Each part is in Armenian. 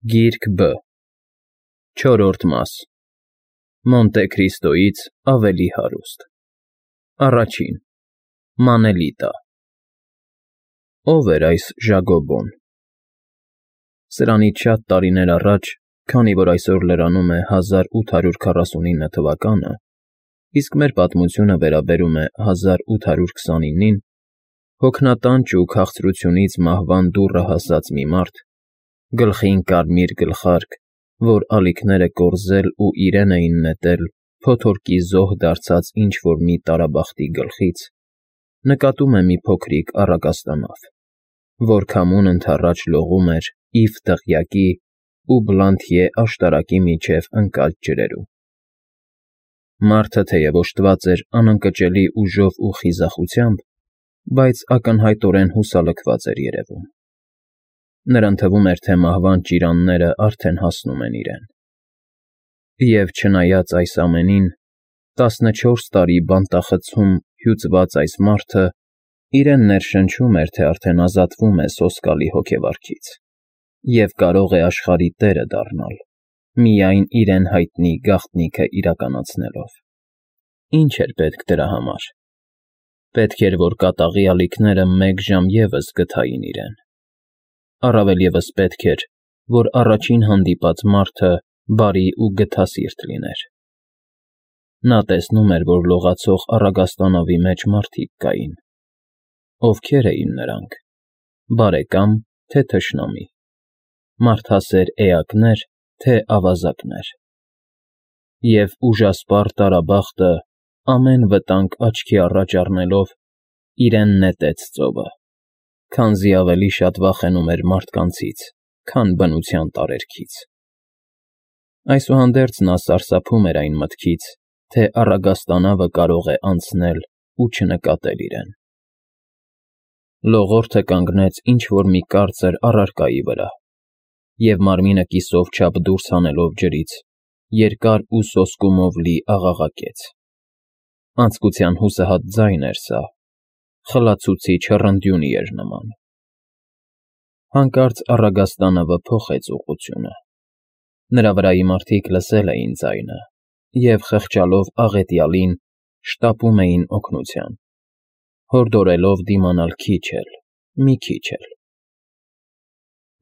Գիրք Բ Չորրորդ մաս Մոնտե Քրիստոյից ավելի հարուստ Առաջին Մանելիտա Ո՞վ էր այս Ժագոբոն։ Սրանից շատ տարիներ առաջ, քանի որ այսօր լրանում է 1849 թվականը, իսկ մեր պատմությունը վերաբերում է 1829-ին, հոգնատանջ ու քաղցրությունից մահվան դուռը հասած մի մարդ, գլխին կարմիր գլխարկ, որ ալիքները կորզել ու իրեն էին նետել փոթորկի զոհ դարձած ինչ-որ մի տարաբախտի գլխից, նկատում է մի փոքրիկ առագաստանավ, որ քամուն ընդառաջ լողում էր Իվ դղյակի ու Բլանթիե աշտարակի միջև ընկած ջրերում։ Մարդը թեև օժտված էր անընկճելի ուժով ու խիզախությամբ, բայց ակնհայտորեն հուսալքված էր երևում։ Նրան թվում էր, թե մահվան ճիրանները արդեն հասնում են իրեն։ Եվ չնայած այս ամենին, 14 տարի բանտախցում հյուծված այս մարդը իրեն ներշնչում էր, թե արդեն ազատվում է սոսկալի հոգեվարքից և կարող է աշխարհի տերը դառնալ, միայն իրեն հայտնի գաղտնիքը իրականացնելով։ Ինչ էր պետք դրա համար։ Պետք էր, որ կատաղի ալիքները մեկ ժամ ևս գթային իրեն։ Առավել ևս պետք էր, որ առաջին հանդիպած մարդը բարի ու գթասիրտ լիներ։ Նա տեսնում էր, որ լողացող առագաստանավի մեջ մարդիկ կային։ Ովքեր էին նրանք՝ բարեկամ, թե թշնամի, մարդասեր էակներ, թե ավազակներ։ Եվ ուժասպառ տարաբախտը, ամեն վտանգ աչքի առաջ առնելով, իրեն նետեց ծովը, քանզի ավելի շատ վախենում էր մարդկանցից, քան բնության տարերքից։ Այսուհանդերձ նա սարսափում էր այն մտքից, թե առագաստանավը կարող է անցնել ու չնկատել իրեն։ Լողորդը կանգնեց ինչ-որ մի կարծր առարկայի վրա և մարմինը կիսով չափ դուրս հանելով ջրից, երկար ու սոսկումով լի աղաղակեց։ Անձկության հուսահատ ձայն էր սա, խլացուցիչ հռնդյունի էր նման։ Հանկարծ առագաստանավը փոխեց ուղղությունը։ Նրա վրայի մարդիկ լսել էին ձայնը և, խղճալով աղետյալին, շտապում էին օգնության, հորդորելով դիմանալ քիչ էլ, մի քիչ էլ։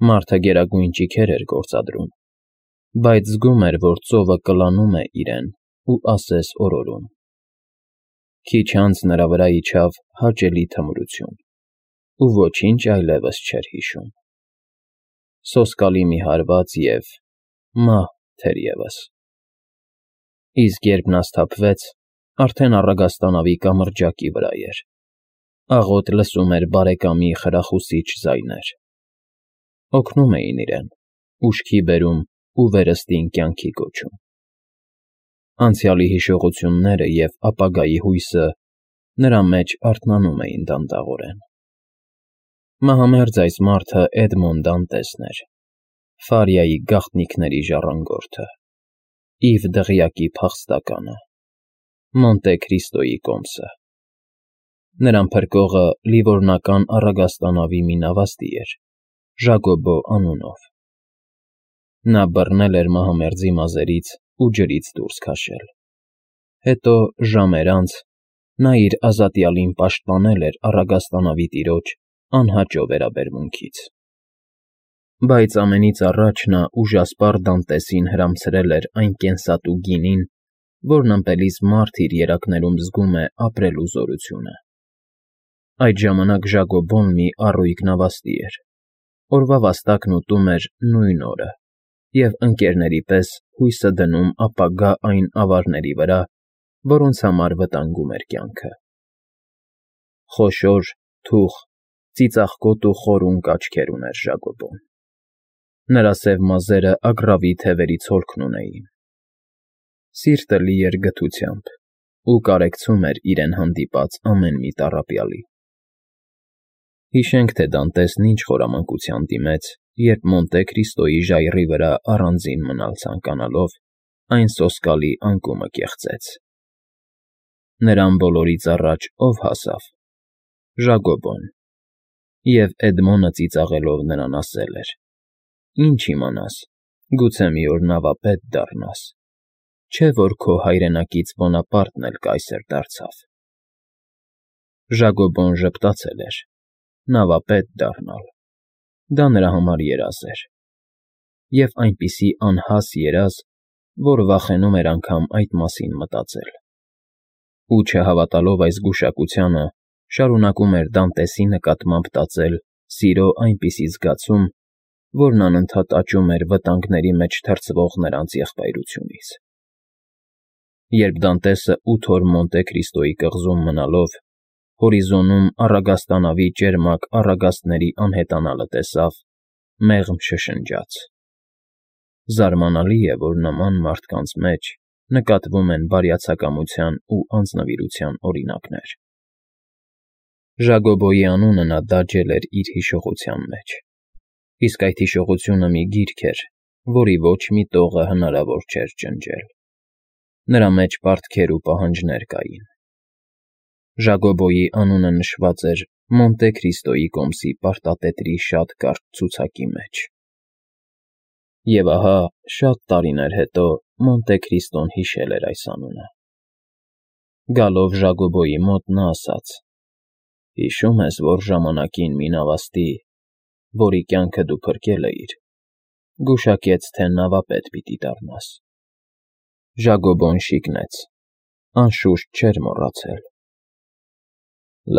Մարդը գերագույն ճիգեր էր գործադրում, բայց զգում էր, որ ծովը կլանում է իրեն ու ասես օրորում։ Քիչ անց նրա վրա իջավ հաճելի թմրություն, ու ոչինչ այլևս չէր հիշում։ Սոսկալի մի հարված և մահ թերևս։ Իսկ երբ նա սթափվեց, արդեն առագաստանավի կամրջակի վրա էր, աղոտ լսում էր բարեկամի խրախուսիչ ձայներ։ Օգնում էին իրեն, ուշքի բերում ու վերստին կյանքի կոչում։ Անցյալի հիշողությունները և ապագայի հույսը նրա մեջ արթնանում էին դանդաղորեն։ Մահամերձ այս մարդը Էդմոն Դանտեսն էր, Ֆարիայի գաղտնիքների ժառանգորդը, Իվ դղյակի փախստականը, Մոնտե Քրիստոյի կոմսը։ Նրան փրկողը լիվորնական առագաստանավի մի նավաստի էր, Ժագոբո անունով։ Նա բռնել էր մահամերձի մազերից ու ջրից դուրս քաշել։ Հետո, ժամեր անց, նա իր ազատյալին պաշտպանել էր առագաստանավի տիրոջ անհաճո վերաբերմունքից։ Բայց ամենից առաջ նա ուժասպառ Դանտեսին հրամցրել էր այն կենսատու գինին, որն ըմպելիս մարդ իր երակներում զգում է ապրելու զորությունը։ Այդ ժամանակ Ժագոբոն մի առույգ նավաստի էր, օրվա վաստակն ուտում էր նույն օրը և ընկերների պես հույսը դնում ապագա այն ավարների վրա, որոնց համար վտանգում էր կյանքը։ Խոշոր, թուխ, ծիծաղկոտ ու խորունկ աչքեր ուներ Ժագոբոն։ Նրա սև մազերը ագռավի թևերից հոլքն ունեին։ Սիրտը լի էր գթությամբ ու կարեկցում էր իրեն հանդիպած ամեն մի տառապյալի։ Հիշենք, թե Դանտեսն ինչ խորամանկության դիմեց, երբ Մոնտե Քրիստոյի ժայռի վրա առանձին մնալ ցանկանալով, այն սոսկալի անկումը կեղծեց։ Նրան բոլորից առաջ ով հասավ։ Ժագոբոն։ Եվ Էդմոնը ծիծաղելով նրան ասել էր. Ինչ իմանաս, գուցե մի օր նավապետ դառնաս, չէ՞ որ քո հայրենակից Բոնապարտն էլ կայսր դարձավ։ Ժագոբոն ժպտացել էր. նավապետ դառնալ, դա նրա համար երազ էր, և այնպիսի անհաս երազ, որ վախենում էր անգամ այդ մասին մտածել։ Ու չհավատալով այս գուշակությանը, շարունակում էր Դանտեսի նկատմամբ տածել սիրո այնպիսի զգացում, որն անընդհատ աճում էր վտանգների մեջ թրծվող նրանց եղբայրությունից։ Երբ Դանտեսը 8 օր Մոնտե Քրիստոյի կղզում մնալով հորիզոնում առագաստանավի ճերմակ առագաստների անհետանալը տեսավ, մեղմ շշնջաց. զարմանալի է, որ նման մարդկանց մեջ նկատվում են բարյացակամության ու անձնվիրության օրինակներ։ Ժագոբոյի անունը նա դաջել էր իր հիշողության մեջ, իսկ այդ հիշողությունը մի գիրք էր, որի ոչ մի տողը հնարավոր չէր ջնջել։ Նրա մեջ պարտքեր ու պահանջներ կային։ Ժագոբոյի անունը նշված էր Մոնտե Քրիստոյի կոմսի պարտատետրի շատ կարճ ցուցակի մեջ։ Եվ ահա, շատ տարիներ հետո Մոնտե Քրիստոն հիշել էր այս անունը։ Գալով Ժագոբոյի մոտ նա ասաց. «Հիշո՞ւմ ես, որ ժամանակին մի նավաստի, որի կյանքը դու փրկել էիր, գուշակեց, թե նավապետ պիտի դառնաս»։ Ժագոբոն շիկնեց, անշուշտ չէր մոռացել։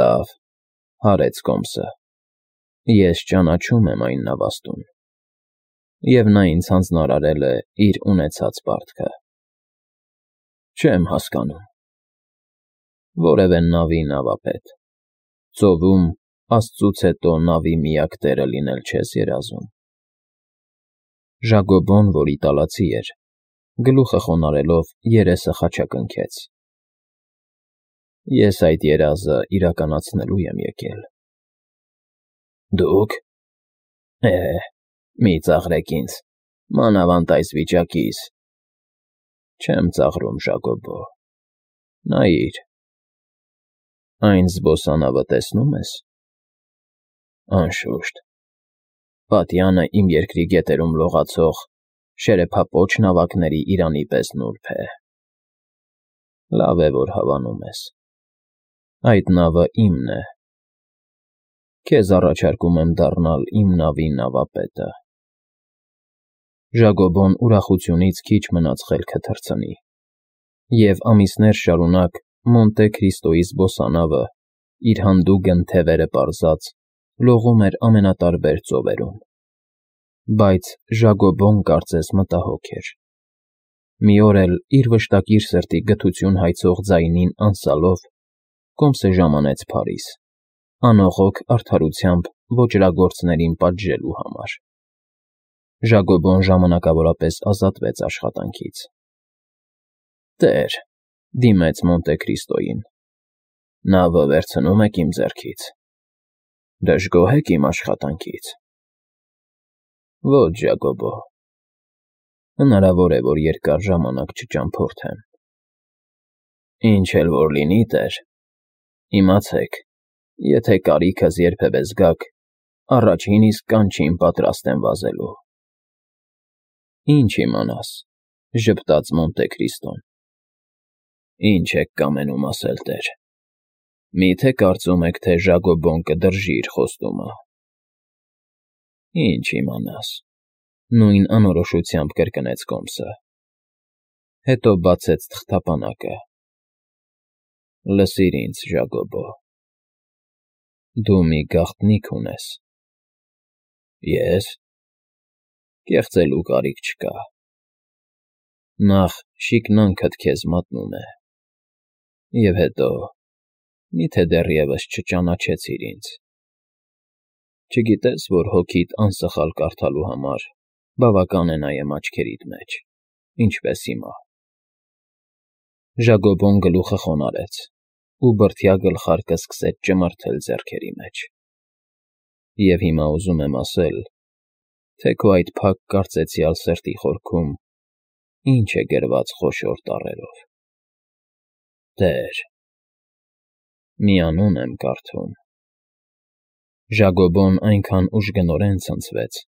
Լավ, հարեց կոմսը, ես ճանաչում եմ այն նավաստուն, և նա ինձ հանձնարարել է իր ունեցած պարտքը։ Չեմ հասկանում։ Որևէ նավի նավապետ, ծովում Աստծուց հետո նավի միակ տերը լինել չես երազում։ Ժագոբոն, որ իտալացի էր, գլուխը խոնարհելով երեսը խաչակնքեց։ Ես այդ երազը իրականացնելու եմ եկել։ Դուք։ Մի ծաղրեք ինձ, մանավանդ այս վիճակիս։ Չեմ ծաղրում, Ժագոբո։ Նայիր։ Այն զբոսանավը տեսնու՞մ ես։ Անշուշտ։ Պատյանը իմ երկրի գետերում լողացող շերեփապոչ նավակների իրանի պես նուրբ է։ Լավ է, որ հավանում ես։ Այդ նավը իմն է։ Քեզ առաջարկում եմ դառնալ իմ նավի նավապետը։ Ժագոբոն ուրախությունից քիչ մնաց խելքը թռցնի, և ամիսներ շարունակ Մոնտե Քրիստոյի զբոսանավը, իր հանդուգն թևերը պարզած, լողում էր ամենատարբեր ծովերում։ Բայց Ժագոբոն կարծես մտահոգ էր։ Մի օր էլ, իր վշտակիր սրտի գթություն հայցող ձայնին անսալով, կոմսը ժամանեց Փարիզ, անողոք արդարությամբ ոճրագործներին պատժելու համար։ Ժագոբոն ժամանակավորապես ազատվեց աշխատանքից։ Տեր, դիմեց Մոնտե Քրիստոյին, նավը վերցնում եք իմ ձեռքից։ Դժգոհ եք իմ աշխատանքից։ Ոչ, Ժագոբո։ Հնարավոր է, որ երկար ժամանակ չճամփորդեմ։ Ինչ էլ որ լինի, տեր, իմացեք, եթե կարիքս երբևէ զգաք, առաջին իսկ կանչին պատրաստ եմ վազելու։ Ինչ իմանաս, ժպտաց Մոնտե Քրիստոն։ Ինչ եք կամենում ասել, տեր։ Մի՞թե կարծում եք, թե Ժագոբոն կդրժի իր խոստումը։ Ինչ իմանաս, նույն անորոշությամբ կրկնեց կոմսը։ Հետո բացեց թղթապանակը։ Լսիր ինձ, Ժագոբո։ Դու մի գաղտնիք ունես։ Ես։ Կեղծելու կարիք չկա։ Նախ շիկնանքդ քեզ մատնում է։ Եվ հետո, միթե դեռևս չճանաչեցիր ինձ։ Չգիտես, որ հոգիդ անսխալ կարդալու համար բավական է նայեմ աչքերիդ մեջ, ինչպես հիմա։ Ժագոբոն գլուխը խոնարհեց, ու բրդյա գլխարկը սկսեց ճմրթել ձեռքերի մեջ։ Եվ հիմա ուզում եմ ասել, թե քո այդ փակ կարծեցյալ սրտի խորքում ինչ է գրված խոշոր տառերով։ Տեր։ Մի անուն եմ կարդում։ Ժագոբոն այնքան ուժգնորեն ցնցվեց,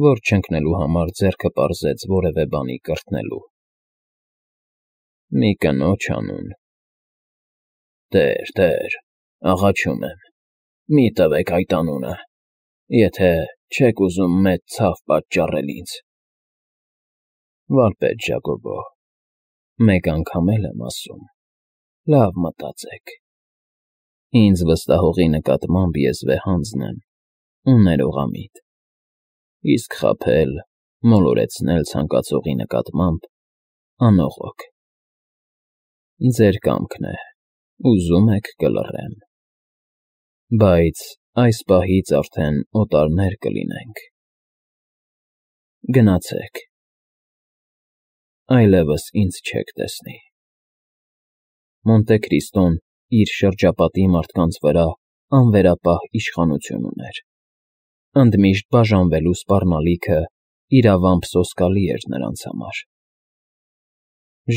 որ չընկնելու համար ձեռքը պարզեց որևէ բանի կրթնելու։ Մի կնոջ անուն։ Տեր, աղաչում եմ, մի տվեք այդ անունը, եթե չեք ուզում մեծ ցավ պատճառել ինձ։ Վարպետ Ժակոբո, մեկ անգամ էլ եմ ասում, լավ մտածեք։ Ինձ վստահողի նկատմամբ ես վեհանձն եմ ու ներողամիտ, իսկ խաբել, մոլորեցնել ցանկացողի նկատմամբ անողոք։ Ձեր կամքն է, ուզում եք կլռեմ, բայց այս պահից արդեն օտարներ կլինենք։ Գնացեք, այլևս ինձ չեք տեսնի։ Մոնտե Քրիստոն իր շրջապատի մարդկանց վրա անվերապահ իշխանություն ուներ։ Ընդմիշտ բաժանվելու սպառնալիքը իրավամբ սոսկալի էր նրանց համար։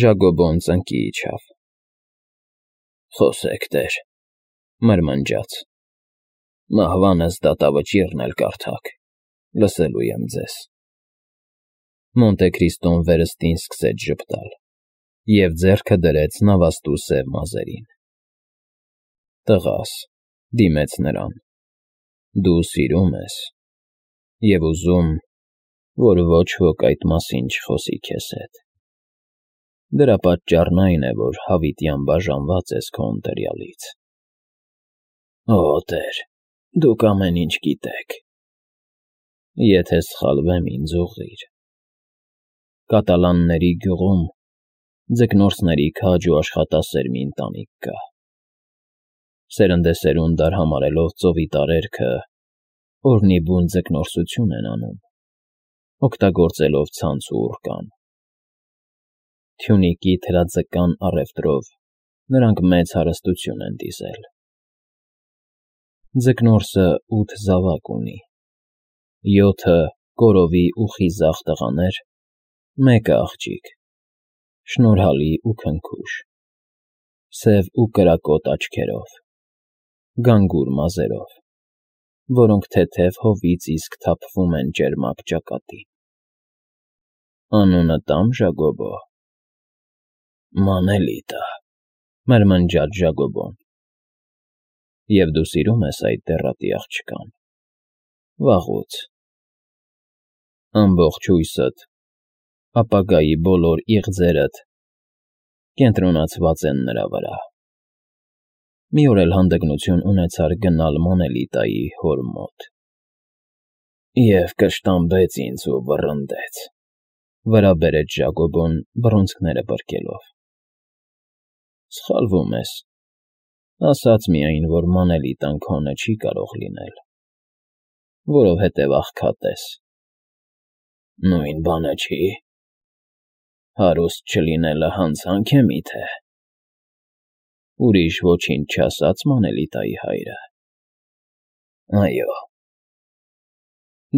Ժակոբոն ծնկի իջավ։ Խոսեք, տեր, մրմնջաց։ Մահվանս դատավճիռն էլ կարդաք, լսելու եմ ձեզ։ Մոնտե Քրիստոն վերստին սկսեց ժպտալ և ձեռքը դրեց նավաստու սև մազերին։ Տղաս, դիմեց նրան, դու սիրում ես և ուզում, որ ոչ ոք այդ մասին չխոսի քեզ հետ։ Դրա պատճառն այն է, որ հավիտյան բաժանված ես քո ընտելյալից։ Օ, տեր, դուք ամեն ինչ գիտեք։ Եթե սխալվեմ, ինձ ուղղիր։ Կատալանների գյուղում ձկնորսների քաջ ու աշխատասեր մի ընտանիք կա։ Սերնդեսերունդ արհամարհելով ծովի տարերքը, օրնիբուն ձկնորսություն են անում, օգտագործելով ցանց ու ուռկան։ Թյունիկի թրածկական առևտրով նրանք մեծ հարստություն են դիզել։ Ձկնորսը 8 զավակ ունի, 7-ը կորովի ու խիզախ տղաներ, մեկը աղջիկ, շնորհալի ու քնքուշ, սև ու կրակոտ աչքերով, գանգուր մազերով, որոնք թեթև հովից իսկ թափվում են ճերմակ ճակատին։ Անունը տամ Ժակոբո։ Մանելիտա, մրմնջաց Ժակոբոն։ Եվ դու սիրում ես այդ դեռատի աղջկան։ Վաղուց։ Ամբողջ հույսդ, ապագայի բոլոր իղձերդ կենտրոնացված են նրա վրա։ Մի օր էլ հանդգնություն ունեցար գնալ Մանելիտայի հոր մոտ։ Եվ կշտամբեց ինձ ու վռնդեց, վրա բերեց Ժակոբոն բռունցքները պրկելով։ Սխալվում ես, ասաց միայն, որ Մանելիտան քոնը չի կարող լինել, որովհետև աղքատ ես։ Նույն բանը չի։ Հարուստ չլինելը հանցանք է միթե։ Ուրիշ ոչինչ չասաց Մանելիտայի հայրը։ Այո։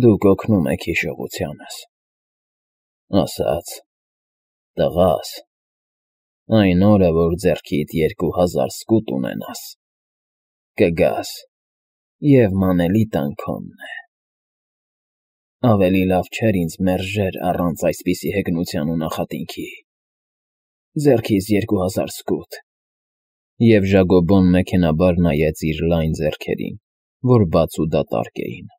Դուք օգնում եք հիշողությանս։ Ասաց. տղաս, այն օրը, որ ձեռքիդ 2000 սկուտ ունենաս, կգաս, և Մանելիտան քոնն է։ Ավելի լավ չէր ինձ մերժեր առանց այսպիսի հեգնության ու նախատինքի։ Ձեռքիս 2000 սկուտ։ Եվ Ժակոբոն մեքենաբար նայեց իր լայն ձեռքերին, որ բաց ու դատարկ էին։